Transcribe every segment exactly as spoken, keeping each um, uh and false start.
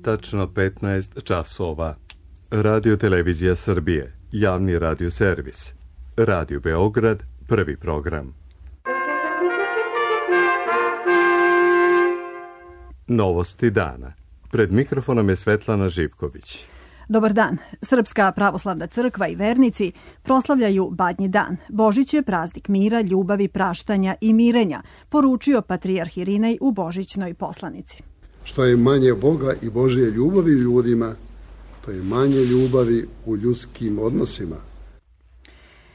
Tačno petnaest časova. Radio Televizija Srbije, javni radio servis. Radio Beograd, prvi program. Novosti dana. Pred mikrofonom je Svetlana Živković. Dobar dan. Srpska pravoslavna crkva i vernici proslavljaju Badnji dan. Božić je praznik mira, ljubavi, praštanja i mirenja, poručio patrijarh Irinej u božićnoj poslanici. Što je manje Boga i Božje ljubavi u ljudima, to je manje ljubavi u ljudskim odnosima.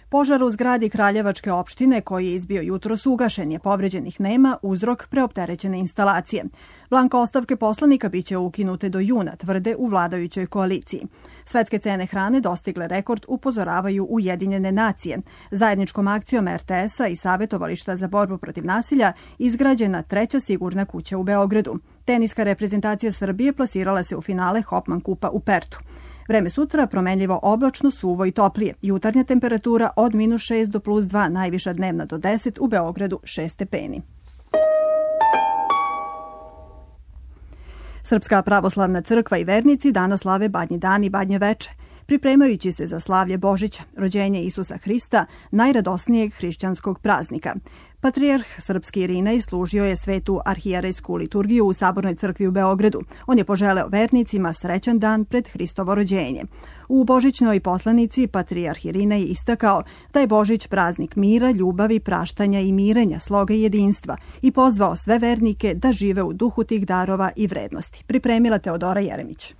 Požar u zgradi Kraljevačke opštine koji je izbio jutros ugašen je, povređenih nema, uzrok preopterećene instalacije. Blanka ostavke poslanika biće ukinute do juna, tvrde u vladajućoj koaliciji. Svetske cene hrane dostigle rekord, upozoravaju Ujedinjene nacije. Zajedničkom akcijom er te es-a i Savjetovališta za borbu protiv nasilja izgrađena treća sigurna kuća u Beogradu. Teniska reprezentacija Srbije plasirala se u finale Hopman kupa u Pertu. Vreme sutra promenljivo oblačno, suvo i toplije. Jutarnja temperatura od minus šest do plus dva, najviša dnevna do deset, u Beogradu šest stepeni. Srpska pravoslavna crkva i vernici danas slave Badnji dan i Badnje veče, pripremajući se za slavlje Božića, rođenje Isusa Hrista, najradosnijeg hrišćanskog praznika. Patrijarh srpski Irinej služio je svetu arhijerejsku liturgiju u Sabornoj crkvi u Beogradu. On je poželeo vernicima srećan dan pred Hristovo rođenje. U božićnoj poslanici patrijarh Irinej istakao da je Božić praznik mira, ljubavi, praštanja i mirenja, sloga i jedinstva i pozvao sve vernike da žive u duhu tih darova i vrednosti. Pripremila Teodora Jeremić.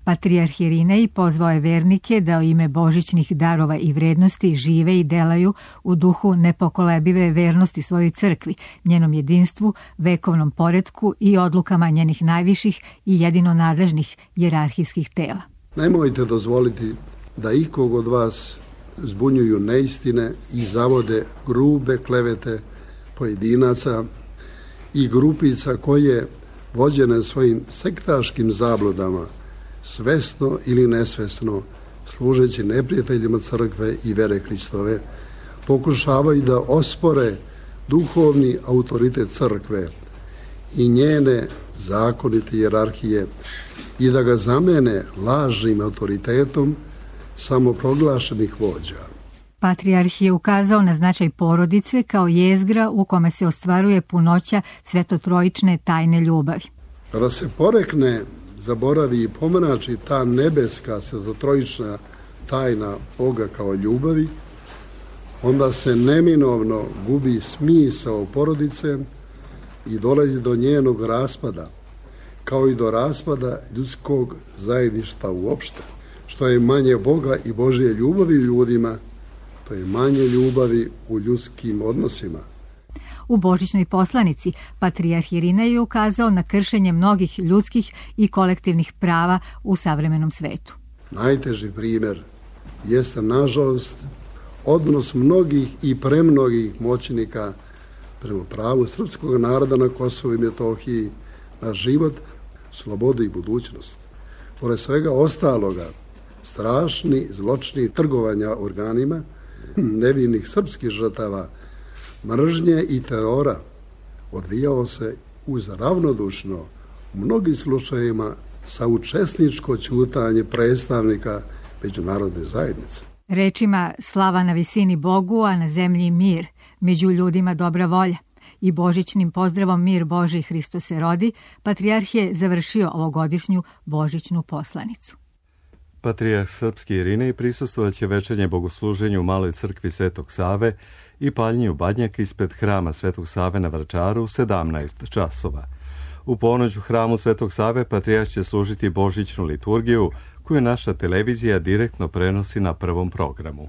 Patrijarh Irinej pozvao je vernike da u ime božićnih darova i vrednosti žive i delaju u duhu nepokolebive vernosti svojoj crkvi, njenom jedinstvu, vekovnom poretku i odlukama njenih najviših i jedino nadležnih hijerarhijskih tela. Nemojte dozvoliti da ikog od vas zbunjuju neistine i zavode grube klevete pojedinaca i grupica koje, vođene svojim sektaškim zabludama, svesno ili nesvesno, služeći neprijateljima crkve i vere Hristove, pokušavaju da ospore duhovni autoritet crkve i njene zakonite hijerarhije i da ga zamene lažnim autoritetom samoproglašenih vođa. Patrijarh je ukazao na značaj porodice kao jezgra u kome se ostvaruje punoća svetotrojične tajne ljubavi. Kada se porekne, zaboravi i pomrači ta nebeska svetotrojična tajna Boga kao ljubavi, onda se neminovno gubi smisao porodice i dolazi do njenog raspada, kao i do raspada ljudskog zajedništva uopšte. Što je manje Boga i Božje ljubavi u ljudima, to je manje ljubavi u ljudskim odnosima. U božićnoj poslanici patrijarh Irinej je ukazao na kršenje mnogih ljudskih i kolektivnih prava u savremenom svetu. Najteži primjer jeste, nažalost, odnos mnogih i premnogih moćnika prema pravu srpskog naroda na Kosovu i Metohiji na život, slobodu i budućnost. Pored svega ostaloga, strašni zločini trgovanja organima nevinih srpskih žrtava, mržnje i terora odvijao se uz ravnodušno, u mnogim slučajevima saučesničko ćutanje predstavnika međunarodne zajednice. Rečima slava na visini Bogu, a na zemlji mir, među ljudima dobra volja i božićnim pozdravom mir Božji Hristos se rodi, patrijarh je završio ovogodišnju božićnu poslanicu. Patrijarh srpski Irinej prisustvovaće večernje bogosluženju u Maloj crkvi Svetog Save i paljenju badnjaka ispred hrama Svetog Save na Vračaru u sedamnaest časova. U ponoć u hramu Svetog Save patrijarh će služiti božićnu liturgiju koju naša televizija direktno prenosi na prvom programu.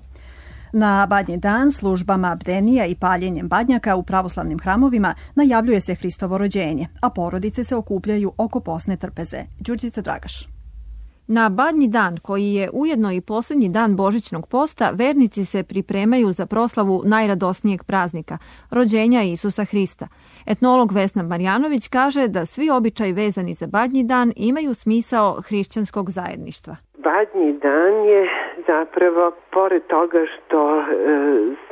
Na Badnji dan službama bdenija i paljenjem badnjaka u pravoslavnim hramovima najavljuje se Hristovo rođenje, a porodice se okupljaju oko posne trpeze. Đurđica Dragaš. Na Badnji dan, koji je ujedno i posljednji dan božićnog posta, vernici se pripremaju za proslavu najradosnijeg praznika, rođenja Isusa Hrista. Etnolog Vesna Marjanović kaže da svi običaji vezani za Badnji dan imaju smisao hrišćanskog zajedništva. Badnji dan je zapravo, pored toga što e,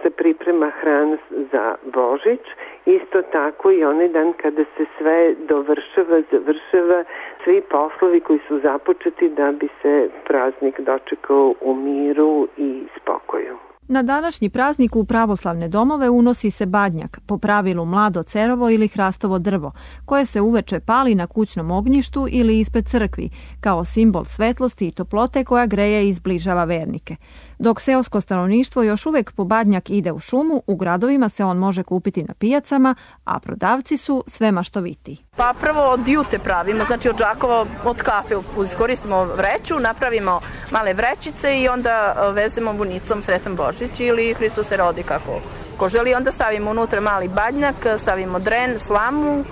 se priprema hrana za Božić isto tako i onaj dan kada se sve dovršava, završava, svi poslovi koji su započeti da bi se praznik dočekao u miru i spokoju. Na današnji praznik u pravoslavne domove unosi se badnjak, po pravilu mlado cerovo ili hrastovo drvo, koje se uveče pali na kućnom ognjištu ili ispred crkvi, kao simbol svetlosti i toplote koja greje i zbližava vernike. Dok seosko stanovništvo još uvek po badnjak ide u šumu, u gradovima se on može kupiti na pijacama, a prodavci su sve maštovitiji. Pa prvo od jute pravimo, znači od džakova, od kafe iskoristimo vreću, napravimo male vrećice i onda vezemo vunicom Sretan Božić ili Hristos se rodi kako ko želi. Onda stavimo unutra mali badnjak, stavimo dren, slamu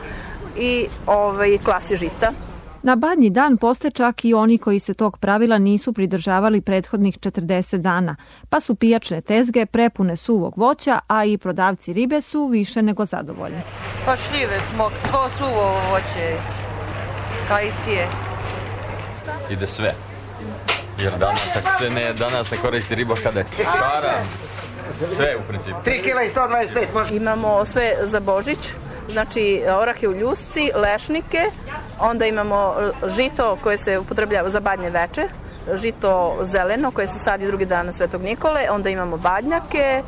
i ovaj, klasi žita. Na badnji dan poste čak i oni koji se tog pravila nisu pridržavali prethodnih četrdeset dana, pa su pijačne tezge prepune suvog voća, a i prodavci ribe su više nego zadovoljni. Pa šljive smo, svo suvo voće, kajsije. Ide sve. Jer danas, ako se ne, danas ne koristi riba kada je šara, sve u principu. tri kila i sto dvadeset pet može. Imamo sve za Božić. Znači orahe u ljusci, lešnike, onda imamo žito koje se upotrebljava za badnje veče, žito zeleno koje se sadi drugi dan na Svetog Nikole, onda imamo badnjake.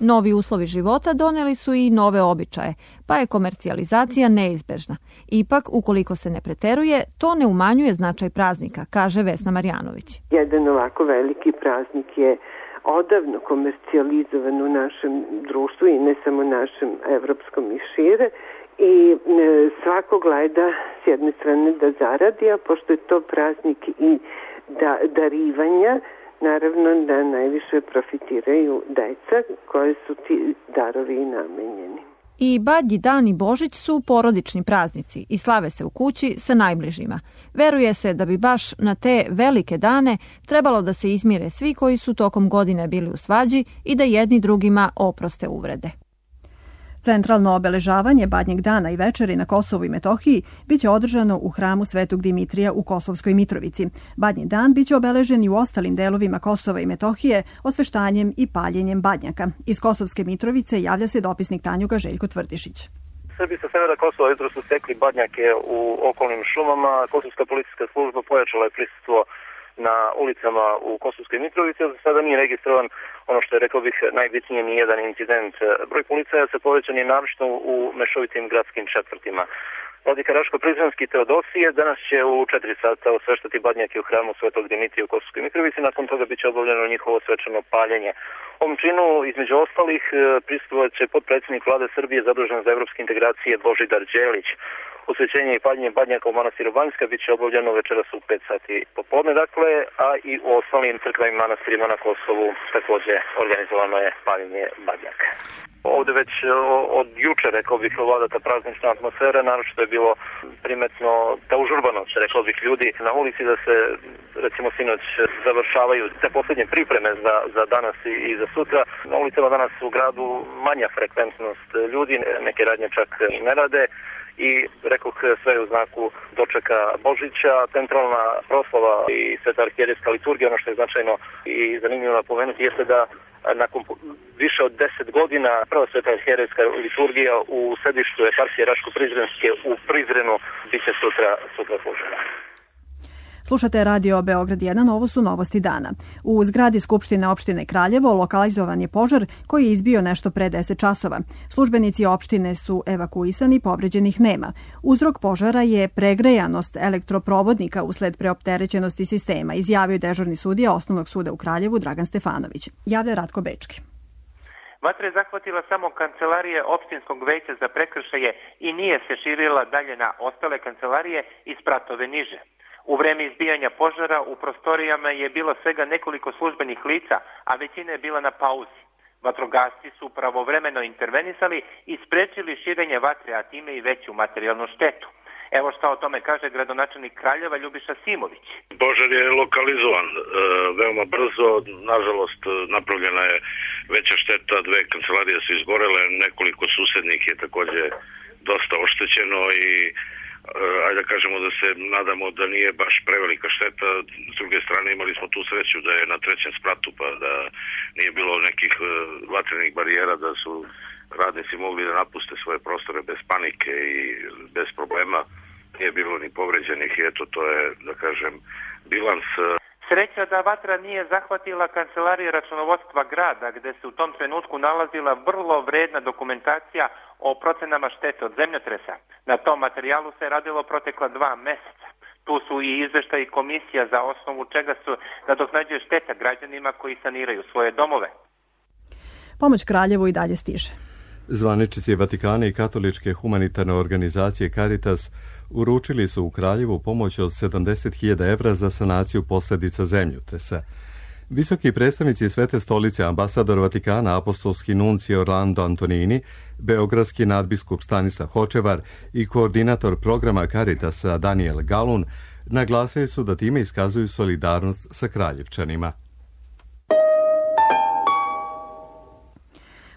Novi uslovi života doneli su i nove običaje, pa je komercijalizacija neizbežna. Ipak, ukoliko se ne preteruje, to ne umanjuje značaj praznika, kaže Vesna Marjanović. Jedan ovako veliki praznik je odavno komercijalizovan u našem društvu i ne samo našem evropskom i šire i e, svako gleda s jedne strane da zaradi, a pošto je to praznik i da, darivanja, naravno da najviše profitiraju deca koje su ti darovi i namenjeni. I Badnji dan i Božić su porodični praznici i slave se u kući sa najbližima. Veruje se da bi baš na te velike dane trebalo da se izmire svi koji su tokom godine bili u svađi i da jedni drugima oproste uvrede. Centralno obeležavanje Badnjeg dana i večeri na Kosovu i Metohiji biće održano u hramu Svetog Dimitrija u Kosovskoj Mitrovici. Badnji dan biće obeležen i u ostalim delovima Kosova i Metohije osveštanjem i paljenjem badnjaka. Iz Kosovske Mitrovice javlja se dopisnik Tanjuga Željko Tvrdišić. Srbi sa severa Kosova jutro su stekli badnjake u okolnim šumama. Kosovska policijska služba pojačala je prisustvo na ulicama u Kosovskoj Mitrovici, ali sada nije registrovan ono što je, rekao bih, najbitnije ni jedan incident. Broj policaja se povećan je naročito u mešovitim gradskim četvrtima. Vladika Raško-Prizrenski Teodosije danas će u četiri sata osveštati badnjake u hramu Svetog Dimitrija u Kosovskoj Mitrovici, nakon toga biće obavljeno njihovo svečano paljenje. Ovom činu, između ostalih, prisustvovat će potpredsjednik Vlade Srbije zadužen za evropske integracije Božidar Đelić. Osvećenje i paljenje badnjaka u manastiru Banjska biće obavljeno večeras u pet sati popodne, dakle, a i u ostalim crkvenim manastirima na Kosovu također organizovano je paljenje badnjaka. Ovdje već od juče, rekao bih, vlada ta praznična atmosfera, naročito je bilo primetno ta užurbanost, rekao bih, ljudi na ulici, da se, recimo, sinoć završavaju te posljednje pripreme za, za danas i, i za sutra. Na ulicama danas u gradu manja frekventnost ljudi, neke radnje čak i ne rade. I, rekoh, sve u znaku dočeka Božića, centralna proslava i sveta arhijerejska liturgija. Ono što je značajno i zanimljivo napomenuti jeste da nakon više od deset godina prva sveta arhijerejska liturgija u sedištu eparhije Raško-Prizrenske u Prizrenu biće sutra, sutra služena. Slušate Radio Beograd jedan, ovo su novosti dana. U zgradi Skupštine opštine Kraljevo lokalizovan je požar koji je izbio nešto pre deset časova. Službenici opštine su evakuisani, povređenih nema. Uzrok požara je pregrejanost elektroprovodnika usled preopterećenosti sistema, izjavio dežurni sudija Osnovnog suda u Kraljevu Dragan Stefanović. Javlja Ratko Bečki. Vatra je zahvatila samo kancelarije opštinskog veća za prekršaje i nije se širila dalje na ostale kancelarije i spratove niže. U vreme izbijanja požara u prostorijama je bilo svega nekoliko službenih lica, a većina je bila na pauzi. Vatrogasci su pravovremeno intervenisali i sprečili širenje vatre, a time i veću materijalnu štetu. Evo šta o tome kaže gradonačelnik Kraljeva Ljubiša Simović. Požar je lokalizovan e, veoma brzo, nažalost napravljena je veća šteta, dve kancelarije su izgorele, nekoliko susednih je također dosta oštećeno i ajde da kažemo da se nadamo da nije baš prevelika šteta. S druge strane imali smo tu sreću da je na trećem spratu, pa da nije bilo nekih vatrenih barijera, da su radnici mogli da napuste svoje prostore bez panike i bez problema. Nije bilo ni povređenih i eto, to je, da kažem, bilans. Sreća da vatra nije zahvatila kancelarije računovodstva grada, gde se u tom trenutku nalazila vrlo vredna dokumentacija o procenama štete od zemljotresa. Na tom materijalu se radilo protekla dva meseca. Tu su i izveštaji komisija za osnovu čega su nadoknađuje šteta građanima koji saniraju svoje domove. Pomoć Kraljevu i dalje stiže. Zvaničnici Vatikana i katoličke humanitarne organizacije Caritas uručili su u Kraljevu pomoć od sedamdeset hiljada evra za sanaciju posljedica zemljotresa. Visoki predstavnici Svete stolice, ambasador Vatikana, apostolski nuncije Orlando Antonini, beogradski nadbiskup Stanislav Hočevar i koordinator programa Caritasa Daniel Galun naglasili su da time iskazuju solidarnost sa Kraljevčanima.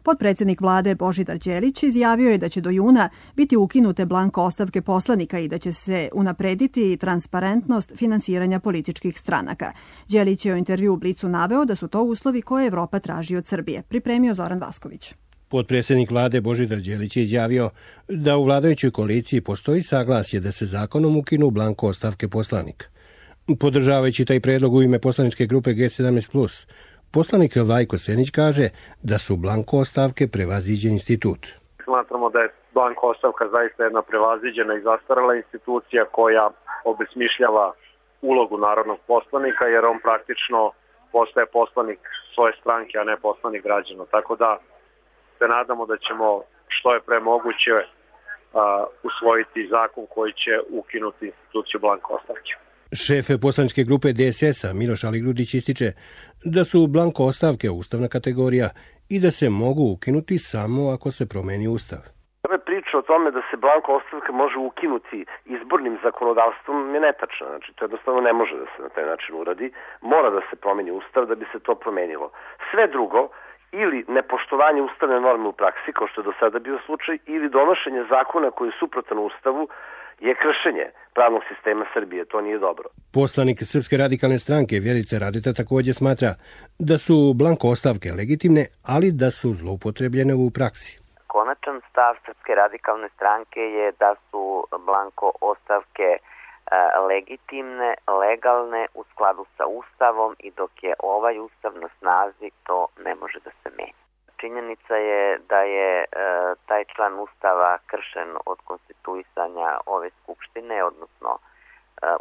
Potpredsjednik vlade Božidar Đelić izjavio je da će do juna biti ukinute blanko ostavke poslanika i da će se unaprediti transparentnost finansiranja političkih stranaka. Đelić je u intervju u Blicu naveo da su to uslovi koje Evropa traži od Srbije. Pripremio Zoran Vasković. Potpredsjednik vlade Božidar Đelić je izjavio da u vladajućoj koaliciji postoji saglasje da se zakonom ukinu blanko ostavke poslanika. Podržavajući taj predlog u ime poslaničke grupe G sedamnaest plus, poslanik Vajko Senić kaže da su blanko ostavke prevaziđen institut. Smatramo da je blanko ostavka zaista jedna prevaziđena i zastarela institucija koja obesmišljava ulogu narodnog poslanika, jer on praktično postaje poslanik svoje stranke, a ne poslanik građana. Tako da se nadamo da ćemo što je pre moguće uh, usvojiti zakon koji će ukinuti instituciju blanko ostavke. Šef poslaničke grupe D S S-a Miloš Aligrudić ističe da su blanko ostavke ustavna kategorija i da se mogu ukinuti samo ako se promeni ustav. Ove priče o tome da se blanko ostavka može ukinuti izbornim zakonodavstvom je netačna. Znači, to jednostavno ne može da se na taj način uradi. Mora da se promeni ustav da bi se to promenilo. Sve drugo, ili nepoštovanje ustavne norme u praksi, kao što je do sada bio slučaj, ili donošenje zakona koji je suprotan ustavu, je kršenje pravnog sistema Srbije. To nije dobro. Poslanik Srpske radikalne stranke Vjerica Radeta također smatra da su blanko ostavke legitimne, ali da su zloupotrebljene u praksi. Konačan stav Srpske radikalne stranke je da su blanko ostavke e, legitimne, legalne u skladu sa Ustavom i dok je ovaj Ustav na snazi, to ne može da se menja. Činjenica je da je e, taj član Ustava kršen od konstituisanja ove skupštine, odnosno e,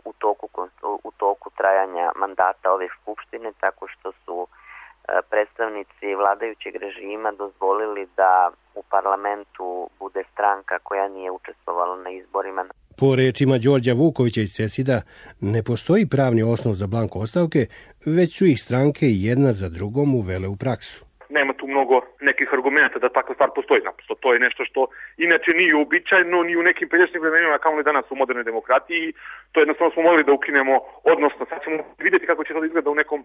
u, toku, u toku trajanja mandata ove skupštine, tako što su e, predstavnici vladajućeg režima dozvolili da u parlamentu bude stranka koja nije učestvovala na izborima. Po rečima Đorđa Vukovića iz CESID-a ne postoji pravni osnov za blanko ostavke, već su ih stranke jedna za drugom uvele u praksu. Nema tu mnogo nekih argumenta da takva stvar postoji. Naprosto to je nešto što inače nije uobičajeno ni u nekim pređašnjim vremenima, kao ni danas u modernoj demokratiji. To jednostavno smo morali da ukinemo, odnosno sad ćemo vidjeti kako će to izgleda u nekom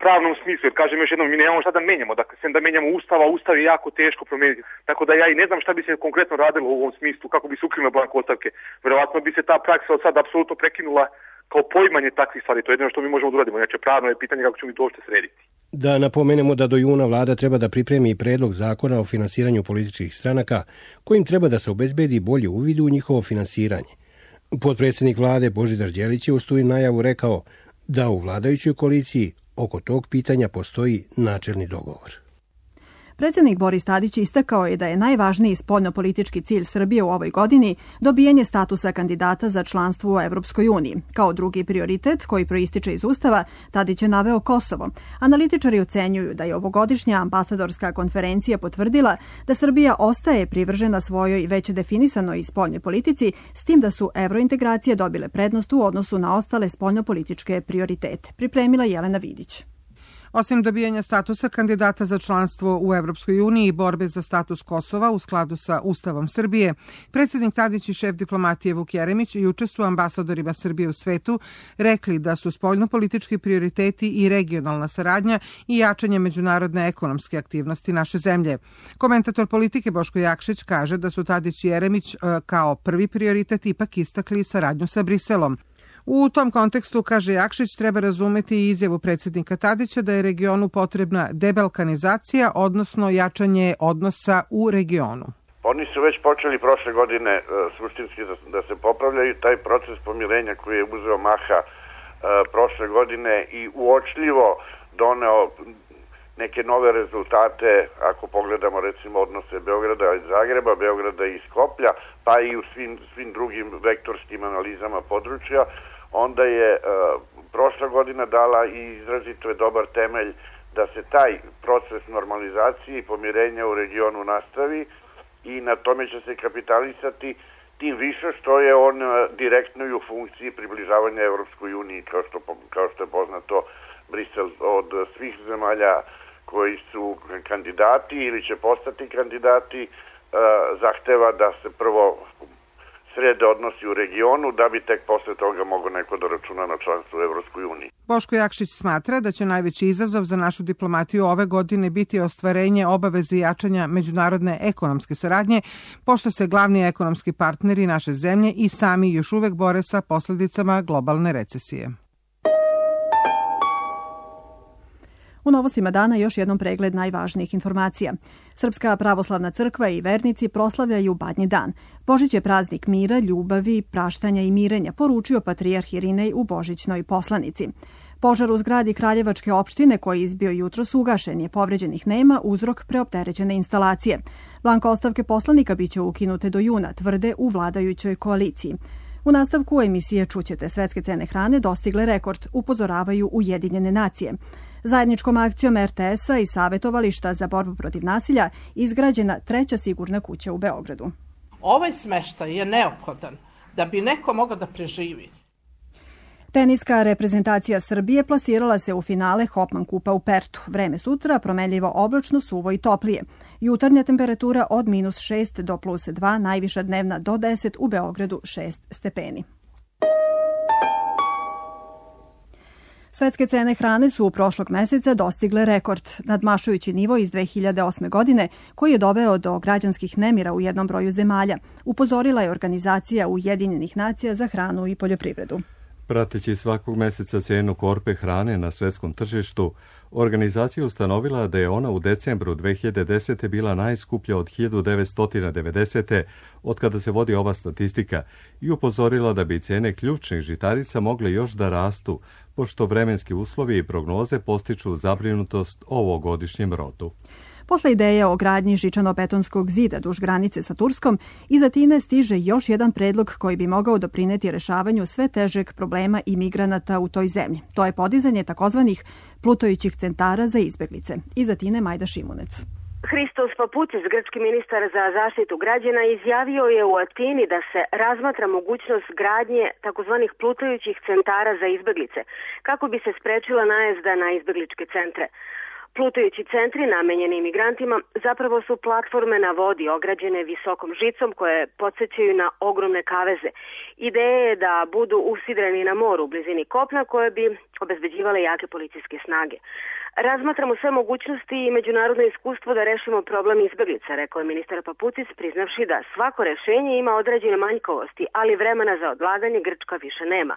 pravnom smislu, jer kažem još jednom, mi nemamo šta da menjamo, dakle, sem da menjamo ustav, a ustav je jako teško promijeniti. Tako da ja i ne znam šta bi se konkretno radilo u ovom smislu, kako bi se ukinulo blanko ostavke. Verovatno bi se ta praksa od sada apsolutno prekinula kao poimanje takvih stvari. To je jedno što mi možemo da uradimo. Znači, pravno je pitanje kako ćemo mi to uopšte srediti. Da napomenemo da do juna vlada treba da pripremi predlog zakona o finansiranju političkih stranaka, kojim treba da se obezbedi bolje uvid u njihovo finansiranje. Potpredsjednik vlade Božidar Đelić je uz tu najavu rekao da u vladajućoj koaliciji oko tog pitanja postoji načelni dogovor. Predsjednik Boris Tadić istakao je da je najvažniji spoljnopolitički cilj Srbije u ovoj godini dobijanje statusa kandidata za članstvo u Evropskoj uniji. Kao drugi prioritet koji proističe iz Ustava, Tadić je naveo Kosovo. Analitičari ocenjuju da je ovogodišnja ambasadorska konferencija potvrdila da Srbija ostaje privržena svojoj već definisanoj spoljnoj politici, s tim da su evrointegracije dobile prednost u odnosu na ostale spoljnopolitičke prioritete. Pripremila Jelena Vidić. Osim dobijanja statusa kandidata za članstvo u Evropskoj uniji i borbe za status Kosova u skladu sa Ustavom Srbije, predsjednik Tadić i šef diplomatije Vuk Jeremić juče su ambasadorima Srbije u svetu rekli da su spoljnopolitički prioriteti i regionalna saradnja i jačanje međunarodne ekonomske aktivnosti naše zemlje. Komentator politike Boško Jakšić kaže da su Tadić i Jeremić kao prvi prioritet ipak istakli saradnju sa Briselom. U tom kontekstu, kaže Jakšić, treba razumeti i izjavu predsjednika Tadića da je regionu potrebna debalkanizacija, odnosno jačanje odnosa u regionu. Oni su već počeli prošle godine uh, suštinski da, da se popravljaju. Taj proces pomirenja koji je uzeo maha uh, prošle godine i uočljivo doneo neke nove rezultate, ako pogledamo recimo odnose Beograda i Zagreba, Beograda i Skoplja, pa i u svim, svim drugim vektorskim analizama područja, onda je uh, prošla godina dala i izrazito je dobar temelj da se taj proces normalizacije i pomirenja u regionu nastavi i na tome će se kapitalisati, tim više što je on uh, direktno i u funkciji približavanja Evropskoj uniji, kao što, kao što je poznato Brisel od svih zemalja koji su kandidati ili će postati kandidati, uh, zahteva da se prvo srede odnosi u regionu, da bi tek posle toga mogo neko da računa na članstvo u Evropskoj uniji. Boško Jakšić smatra da će najveći izazov za našu diplomatiju ove godine biti ostvarenje obaveze jačanja međunarodne ekonomske saradnje, pošto se glavni ekonomski partneri naše zemlje i sami još uvek bore sa posledicama globalne recesije. U novostima dana još jednom pregled najvažnijih informacija. Srpska pravoslavna crkva i vernici proslavljaju Badnji dan. Božić je praznik mira, ljubavi, praštanja i mirenja, poručio patrijarh Irinej u božićnoj poslanici. Požar u zgradi Kraljevačke opštine koji je izbio jutros ugašen je, povređenih nema, uzrok preopterećene instalacije. Blanko ostavke poslanika biće ukinute do juna, tvrde u vladajućoj koaliciji. U nastavku emisije čućete svetske cene hrane dostigle rekord, upozoravaju Ujedinjene nacije. Zajedničkom akcijom er te es-a i Savetovališta za borbu protiv nasilja izgrađena treća sigurna kuća u Beogradu. Ovaj smeštaj je neophodan da bi neko mogao da preživi. Teniska reprezentacija Srbije plasirala se u finale Hopman kupa u Pertu. Vreme sutra promenljivo oblačno, suvo i toplije. Jutarnja temperatura od minus šest do plus dva, najviša dnevna do deset, u Beogradu šest stepeni. Svetske cene hrane su u prošlog meseca dostigle rekord, nadmašujući nivo iz dve hiljade osme. godine, koji je doveo do građanskih nemira u jednom broju zemalja, upozorila je Organizacija Ujedinjenih nacija za hranu i poljoprivredu. Prateći svakog meseca cenu korpe hrane na svetskom tržištu, organizacija ustanovila da je ona u decembru dve hiljade desete. bila najskuplja od hiljadu devetsto devedesete. od kada se vodi ova statistika i upozorila da bi cene ključnih žitarica mogle još da rastu, pošto vremenski uslovi i prognoze postiču zabrinutost o ovogodišnjem rodu. Posle ideje o gradnji žičano-betonskog zida duž granice sa Turskom, iz Atine stiže još jedan predlog koji bi mogao doprineti rešavanju sve težeg problema imigranata u toj zemlji. To je podizanje takozvanih plutajućih centara za izbeglice. Iz Atine Majda Šimunec. Hristos Paputis, grčki ministar za zaštitu građana, izjavio je u Atini da se razmatra mogućnost gradnje takozvanih plutajućih centara za izbeglice, kako bi se sprečila najezda na izbegličke centre. Plutajući centri namenjeni imigrantima zapravo su platforme na vodi ograđene visokom žicom koje podsjećaju na ogromne kaveze. Ideja je da budu usidreni na moru u blizini kopna koje bi obezbeđivale jake policijske snage. Razmatramo sve mogućnosti i međunarodno iskustvo da rešimo problem izbeglica, rekao je ministar Paputis, priznavši da svako rešenje ima određene manjkavosti, ali vremena za odlaganje Grčka više nema.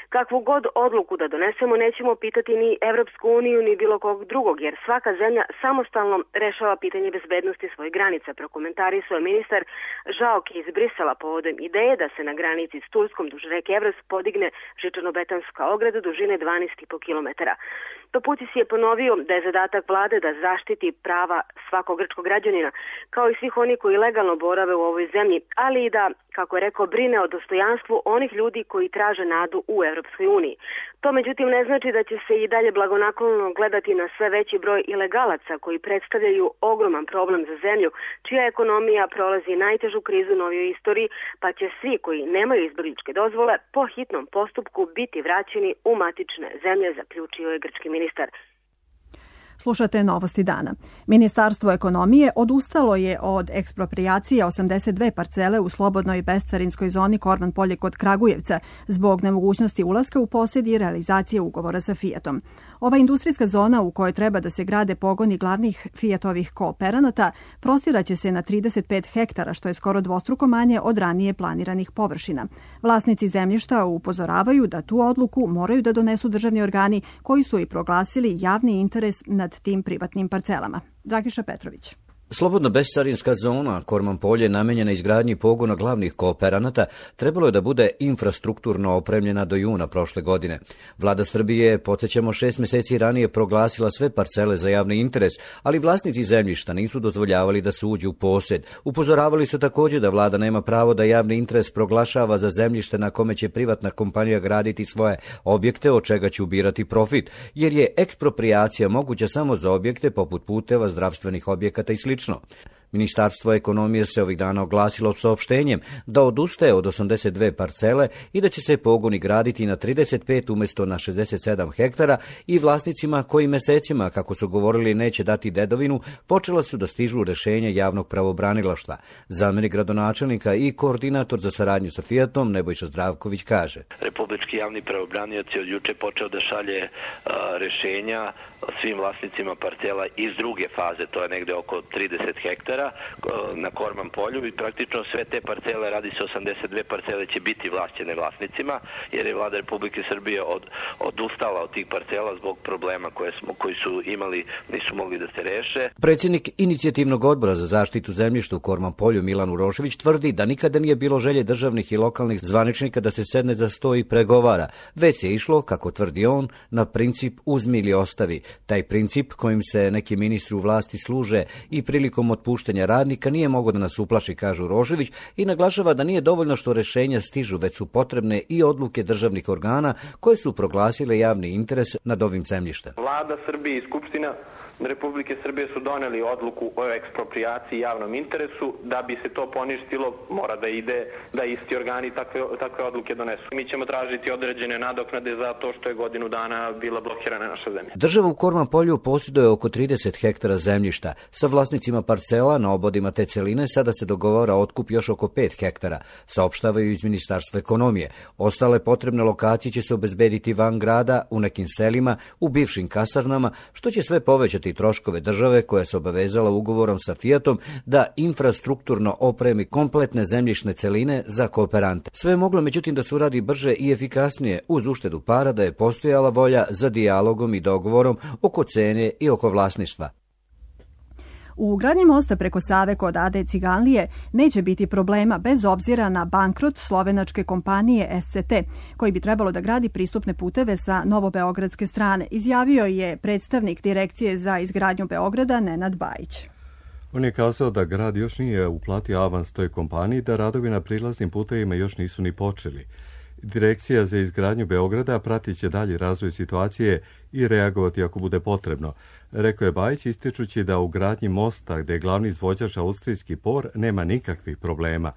Kakvu god odluku da donesemo, nećemo pitati ni Evropsku uniju ni bilo kog drugog, jer svaka zemlja samostalno rešava pitanje bezbednosti svojih granica, prokomentarisao je ministar Žaoki iz Brisela povodom ideje da se na granici s Turskom duž reke Evros podigne žičano-betonska ograda dužine dvanaest i po kilometara. Paputis je ponovio da je zadatak vlade da zaštiti prava svakog grčkog građanina, kao i svih oni koji legalno borave u ovoj zemlji, ali i da, kako je rekao, brine o dostojanstvu onih ljudi koji traže nadu u Evropskoj uniji. To međutim ne znači da će se i dalje blagonaklono gledati na sve veći broj ilegalaca koji predstavljaju ogroman problem za zemlju, čija ekonomija prolazi najtežu krizu u novijoj istoriji, pa će svi koji nemaju izbegličke dozvole po hitnom postupku biti vraćeni u matične zemlje, zaključio je grčki ministar. Slušate Novosti dana. Ministarstvo ekonomije odustalo je od eksproprijacije osamdeset dve parcele u slobodnoj bescarinskoj zoni Korman polje kod Kragujevca zbog nemogućnosti ulaska u posjed i realizacije ugovora sa Fiatom. Ova industrijska zona u kojoj treba da se grade pogoni glavnih Fiatovih kooperanata prostiraće se na trideset pet hektara, što je skoro dvostruko manje od ranije planiranih površina. Vlasnici zemljišta upozoravaju da tu odluku moraju da donesu državni organi koji su i proglasili javni interes nad tim privatnim parcelama. Dragiša Petrović. Slobodno bescarinska zona Korman polje namenjena izgradnji pogona glavnih kooperanata trebalo je da bude infrastrukturno opremljena do juna prošle godine. Vlada Srbije, podsjećamo, šest meseci ranije proglasila sve parcele za javni interes, ali vlasnici zemljišta nisu dozvoljavali da se uđe u posjed. Upozoravali su također da vlada nema pravo da javni interes proglašava za zemljište na kome će privatna kompanija graditi svoje objekte, od čega će ubirati profit, jer je eksproprijacija moguća samo za objekte poput puteva, zdravstvenih objekata i slično. Ministarstvo ekonomije se ovih dana oglasilo saopštenjem da odustaje od osamdeset dve parcele i da će se pogoni graditi na trideset pet umjesto na šezdeset sedam hektara i vlasnicima koji mesecima, kako su govorili, neće dati dedovinu, počela su da stižu rešenja javnog pravobranilaštva. Zamjenik gradonačelnika i koordinator za saradnju sa Fiatom Nebojša Zdravković kaže: Republički javni pravobranilac je od juče počeo da šalje a, rešenja svim vlasnicima parcela iz druge faze, to je negde oko trideset hektara na Korman polju, i praktično sve te parcele, radi se osamdeset dve parcele, će biti vlasćene vlasnicima, jer je vlada Republike Srbije od, odustala od tih parcela zbog problema koje, smo, koji su imali, nisu mogli da se reše. Predsjednik inicijativnog odbora za zaštitu zemljišta u Korman polju Milan Urošević tvrdi da nikada nije bilo želje državnih i lokalnih zvaničnika da se sedne za sto i pregovara, već je išlo, kako tvrdi on, na princip uzmi ili ostavi. Taj princip kojim se neki ministri u vlasti služe i prilikom otpuštanja radnika nije mogao da nas uplaši, kaže Urošević, i naglašava da nije dovoljno što rešenja stižu, već su potrebne i odluke državnih organa koje su proglasile javni interes nad ovim zemljištem. Vlada Srbije i Skupština Republike Srbije su doneli odluku o eksproprijaciji javnom interesu. Da bi se to poništilo, mora da ide da isti organi takve, takve odluke donesu. Mi ćemo tražiti određene nadoknade za to što je godinu dana bila blokirana naša zemlja. Država u Korman polju posjeduje oko trideset hektara zemljišta. Sa vlasnicima parcela na obodima te celine sada se dogovara otkup još oko pet hektara, saopštavaju iz Ministarstva ekonomije. Ostale potrebne lokacije će se obezbediti van grada, u nekim selima, u bivšim kasarnama, što će sve povećati troškove države koja se obavezala ugovorom sa Fiatom da infrastrukturno opremi kompletne zemljišne celine za kooperante. Sve je moglo međutim da se uradi brže i efikasnije uz uštedu para, da je postojala volja za dijalogom i dogovorom oko cene i oko vlasništva. U gradnji mosta preko Save kod A D Ciganlije neće biti problema bez obzira na bankrot slovenačke kompanije S C T, koji bi trebalo da gradi pristupne puteve sa novobeogradske strane, izjavio je predstavnik Direkcije za izgradnju Beograda Nenad Bajić. On je kazao da grad još nije uplatio avans toj kompaniji, da radovi na prilaznim putevima još nisu ni počeli. Direkcija za izgradnju Beograda pratit će dalji razvoj situacije i reagovati ako bude potrebno, rekao je Bajić, ističući da u gradnji mosta, gde je glavni izvođač austrijski P O R, nema nikakvih problema.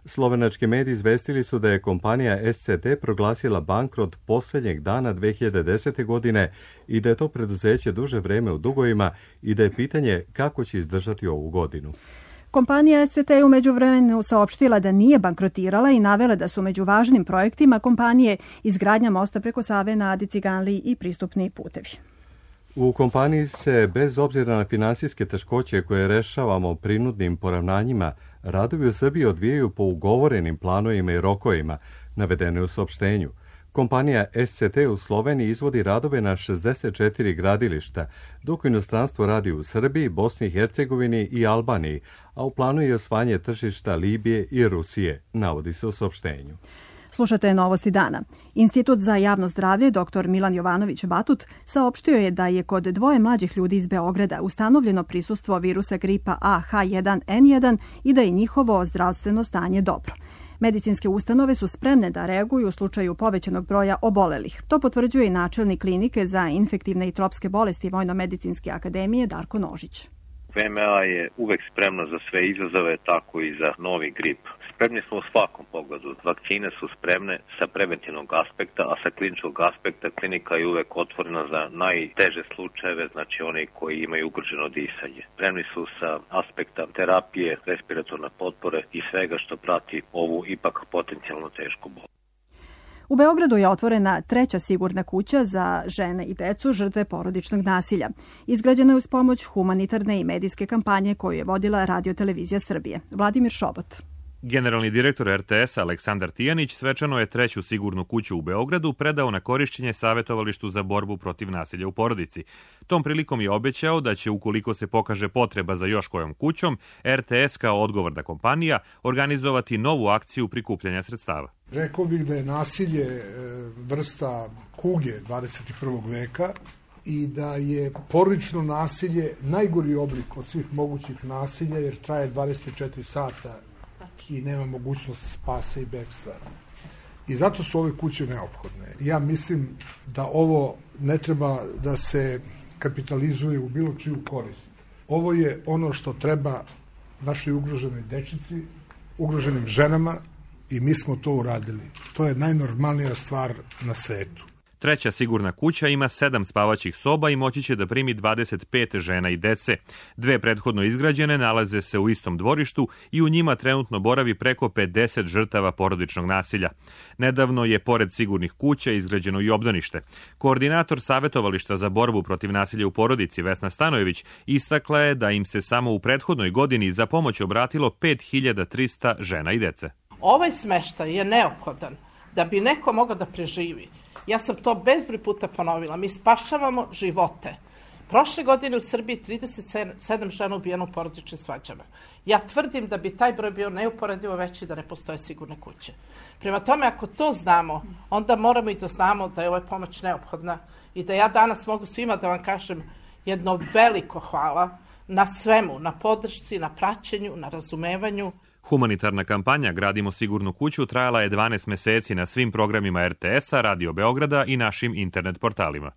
Slovenački mediji izvestili su da je kompanija S C T proglasila bankrot posljednjeg dana dve hiljade desete. godine i da je to preduzeće duže vreme u dugovima i da je pitanje kako će izdržati ovu godinu. Kompanija S C T je u međuvremenu saopštila da nije bankrotirala i navela da su među važnim projektima kompanije izgradnja mosta preko Save na Adi Ciganliji i pristupni putevi. U kompaniji se, bez obzira na finansijske teškoće koje rešavamo prinudnim poravnanjima, radovi u Srbiji odvijaju po ugovorenim planovima i rokovima, navedene u saopštenju. Kompanija S C T u Sloveniji izvodi radove na šezdeset četiri gradilišta, dok u inostranstvu radi u Srbiji, Bosni i Hercegovini i Albaniji, a u planu je osvajanje tržišta Libije i Rusije, navodi se u saopštenju. Slušate Novosti dana. Institut za javno zdravlje dr Milan Jovanović Batut saopštio je da je kod dvoje mlađih ljudi iz Beograda ustanovljeno prisustvo virusa gripa A H jedan N jedan i da je njihovo zdravstveno stanje dobro. Medicinske ustanove su spremne da reaguju u slučaju povećanog broja obolelih. To potvrđuje i načelnik klinike za infektivne i tropske bolesti Vojno-medicinske akademije Darko Nožić. V M A je uvek spremno za sve izazove, tako i za novi grip. Spremni smo u svakom pogledu. Vakcine su spremne sa preventivnog aspekta, a sa kliničkog aspekta klinika je uvek otvorena za najteže slučajeve, znači oni koji imaju ugroženo disanje. Spremni su sa aspekta terapije, respiratorne potpore i svega što prati ovu ipak potencijalno tešku bolest. U Beogradu je otvorena treća sigurna kuća za žene i decu žrtve porodičnog nasilja. Izgrađena je uz pomoć humanitarne i medijske kampanje koju je vodila Radio-televizija Srbije. Vladimir Šobot. Generalni direktor er te es Aleksandar Tijanić svečano je treću sigurnu kuću u Beogradu predao na korišćenje Savetovalištu za borbu protiv nasilja u porodici. Tom prilikom je obećao da će, ukoliko se pokaže potreba za još kojom kućom, er te es kao odgovorna kompanija organizovati novu akciju prikupljanja sredstava. Rekao bih da je nasilje vrsta kuge dvadeset prvog veka i da je porodično nasilje najgori oblik od svih mogućih nasilja jer traje dvadeset četiri sata i nema mogućnost spasa i bekstva. I zato su ove kuće neophodne. Ja mislim da ovo ne treba da se kapitalizuje u bilo čiju korist. Ovo je ono što treba našoj ugroženoj dečici, ugroženim ženama i mi smo to uradili. To je najnormalnija stvar na svetu. Treća sigurna kuća ima sedam spavaćih soba i moći će da primi dvadeset pet žena i dece. Dve prethodno izgrađene nalaze se u istom dvorištu i u njima trenutno boravi preko pedeset žrtava porodičnog nasilja. Nedavno je pored sigurnih kuća izgrađeno i obdanište. Koordinator Savetovališta za borbu protiv nasilja u porodici Vesna Stanojević istakla je da im se samo u prethodnoj godini za pomoć obratilo pet hiljada trista žena i dece. Ovaj smeštaj je neophodan da bi neko mogao da preživi. Ja sam to bezbroj puta ponovila. Mi spašavamo živote. Prošle godine u Srbiji trideset sedam žena ubijeno u porodičnim svađama. Ja tvrdim da bi taj broj bio neuporedivo veći da ne postoje sigurne kuće. Prema tome, ako to znamo, onda moramo i da znamo da je ova pomoć neophodna i da ja danas mogu svima da vam kažem jedno veliko hvala na svemu, na podršci, na praćenju, na razumevanju. Humanitarna kampanja Gradimo sigurnu kuću trajala je dvanaest meseci na svim programima er te es-a, Radio Beograda i našim internet portalima.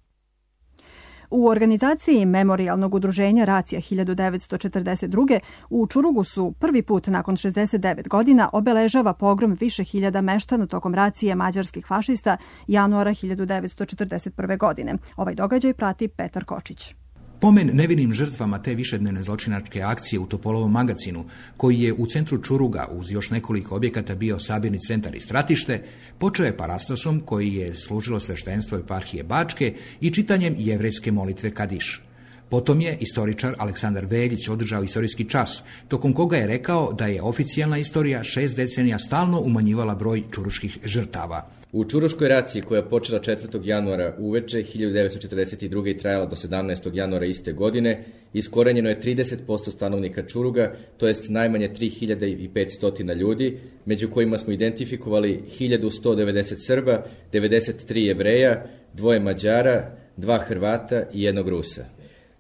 U organizaciji Memorijalnog udruženja Racija hiljadu devetsto četrdeset druge u Čurugu su prvi put nakon šezdeset devet godina obeležava pogrom više hiljada meštana tokom racije mađarskih fašista januara hiljadu devetsto četrdeset prve. godine. Ovaj događaj prati Petar Kočić. Pomen nevinim žrtvama te višednevne zločinačke akcije u Topolovom magacinu, koji je u centru Čuruga uz još nekoliko objekata bio sabirni centar i stratište, počeo je parastosom koji je služilo sveštenstvo eparhije Bačke i čitanjem jevrejske molitve Kadiš. Potom je istoričar Aleksandar Veljić održao istorijski čas, tokom koga je rekao da je oficijalna istorija šest decenija stalno umanjivala broj čuruških žrtava. U Čuruškoj raciji koja je počela četvrtog januara uveče hiljadu devetsto četrdeset druge. i trajala do sedamnaestog januara iste godine, iskorenjeno je trideset posto stanovnika Čuruga, to jest najmanje tri hiljade petsto ljudi, među kojima smo identifikovali hiljadu sto devedeset Srba, devedeset tri Jevreja, dvoje Mađara, dva Hrvata i jednog Rusa.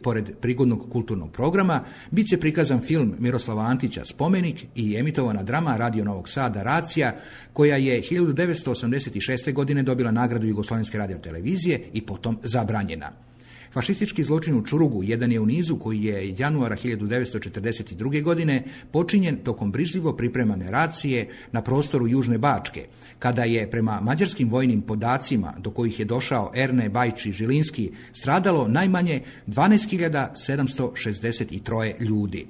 Pored prigodnog kulturnog programa, bit će prikazan film Miroslava Antića Spomenik i emitovana drama Radio Novog Sada Racija, koja je hiljadu devetsto osamdeset šeste. godine dobila nagradu Jugoslovenske radiotelevizije i potom zabranjena. Fašistički zločin u Čurugu jedan je u nizu koji je januara hiljadu devetsto četrdeset druge. godine počinjen tokom brižljivo pripremane racije na prostoru Južne Bačke, kada je prema mađarskim vojnim podacima do kojih je došao Erne Bajči Žilinski stradalo najmanje dvanaest hiljada sedamsto šezdeset tri ljudi.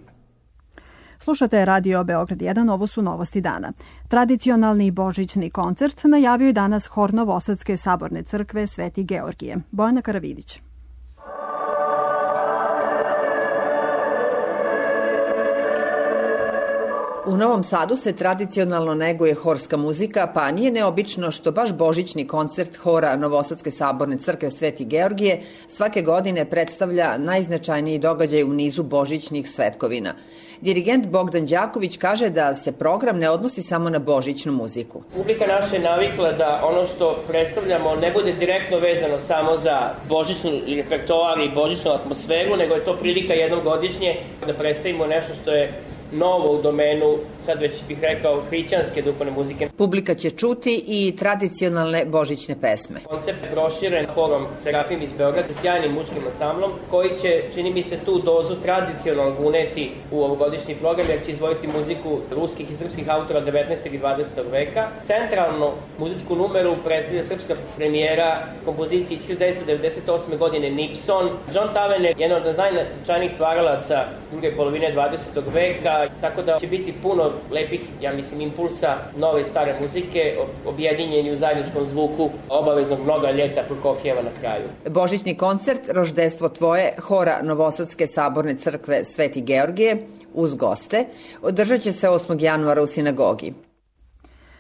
Slušate Radio Beograd jedan, ovo su novosti dana. Tradicionalni božićni koncert najavio je danas hor Novosadske saborne crkve Sveti Georgije. Bojana Karavidić. U Novom Sadu se tradicionalno neguje horska muzika, pa nije neobično što baš božićni koncert hora Novosadske saborne crkve Sveti Georgije svake godine predstavlja najznačajniji događaj u nizu božićnih svetkovina. Dirigent Bogdan Đaković kaže da se program ne odnosi samo na božićnu muziku. Publika naša je navikla da ono što predstavljamo ne bude direktno vezano samo za božićnu repertoar i božićnu atmosferu, nego je to prilika jednom godišnje da predstavimo nešto što je novo u domenu sad već bih rekao, hrišćanske duhovne muzike. Publika će čuti i tradicionalne božićne pesme. Koncept je proširen horom Serafim iz Beograda, sjajnim muškim ansamblom, koji će, čini mi se, tu dozu tradicionalnog uneti u ovogodišnji program, jer će izvojiti muziku ruskih i srpskih autora devetnaestog i dvadesetog veka. Centralnu muzičku numeru predstavlja srpska premijera kompozicije iz hiljadu devetsto devedeset osme godine Nipson. John Tavener je jedan od najznačajnijih stvaralaca druge polovine dvadesetog veka, tako da će biti puno lepih, ja mislim, impulsa nove i stare muzike, objedinjeni u zajedničkom zvuku obaveznog Mnoga ljeta Prokofjeva na kraju. Božićni koncert Roždestvo tvoje hora Novosadske saborne crkve Sveti Georgije uz goste održat će se osmog januara u sinagogi.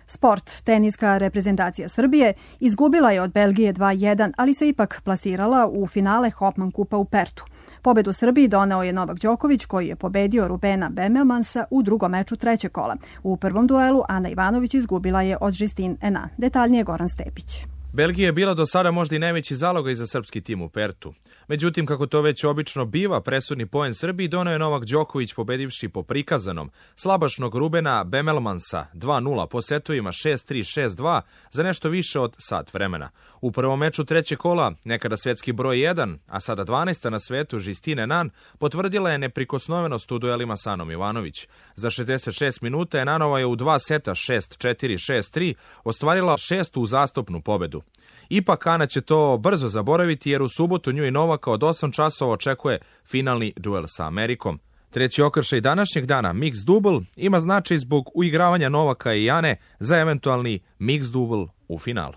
Sport. Teniska reprezentacija Srbije izgubila je od Belgije dva jedan, ali se ipak plasirala u finale Hopman kupa u Pertu. Pobedu Srbiji doneo je Novak Đoković, koji je pobedio Rubena Bemelmansa u drugom meču trećeg kola. U prvom duelu Ana Ivanović izgubila je od Žistin Ena. Detaljnije Goran Stepić. Belgija je bila do sada možda i najveći zalogaj za srpski tim u Pertu. Međutim, kako to već obično biva, presudni poen Srbiji doneo je Novak Đoković pobedivši po prikazanom slabašnog Rubena Bemelmansa dva nula po setovima šest tri šest dva za nešto više od sat vremena. U prvom meču trećeg kola, nekada svetski broj jedan, a sada dvanaesta na svetu, Žistine Nan, potvrdila je neprikosnovenost u duelima sa Anom Ivanović. Za šezdeset šest minuta Enanova je u dva seta šest četiri šest tri ostvarila šestu uzastopnu pobedu. Ipak Ana će to brzo zaboraviti jer u subotu nju i Novaka od osam časova očekuje finalni duel sa Amerikom. Treći okršaj današnjeg dana, mix dubl, ima značaj zbog uigravanja Novaka i Ane za eventualni mix dubl u finalu.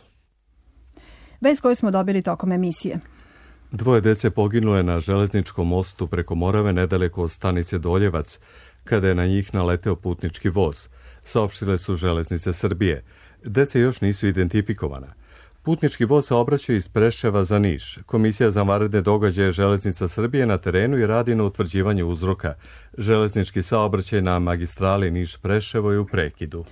Vest koju smo dobili tokom emisije. Dvoje dece poginulo je na železničkom mostu preko Morave nedaleko od stanice Doljevac, kada je na njih naleteo putnički voz. Saopštile su Železnice Srbije. Dece još nisu identifikovana. Putnički voz se obraća iz Preševa za Niš. Komisija za vanredne događaje Železnica Srbije na terenu i radi na utvrđivanju uzroka. Železnički saobraćaj na magistrali Niš-Preševo je u prekidu.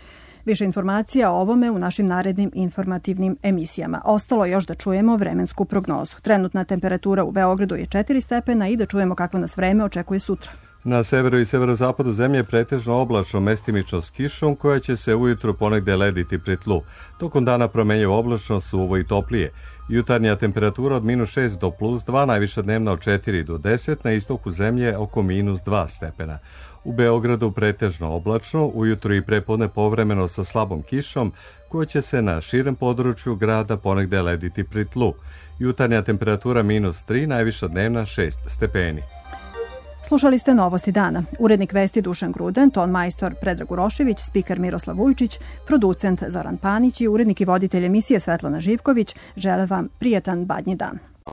Više informacija o ovome u našim narednim informativnim emisijama. Ostalo je još da čujemo vremensku prognozu. Trenutna temperatura u Beogradu je četiri stepena i da čujemo kakvo nas vreme očekuje sutra. Na severu i severozapadu zemlje je pretežno oblačno, mestimično s kišom, koja će se ujutru ponegde lediti pri tlu. Tokom dana promenjivo oblačno, suvo i toplije. Jutarnja temperatura od minus šest do plus dva, najviša dnevna od četiri do deset, na istoku zemlje oko minus dva stepena. U Beogradu pretežno oblačno, ujutru i prepodne povremeno sa slabom kišom, koja će se na širem području grada ponegde lediti pri tlu. Jutarnja temperatura minus tri, najviša dnevna šest stepeni. Slušali ste Novosti dana. Urednik vesti Dušan Gruden, ton majstor Predrag Urošević, spiker Miroslav Vujčić, producent Zoran Panić i urednik i voditelj emisije Svetlana Živković žele vam prijetan badnji dan.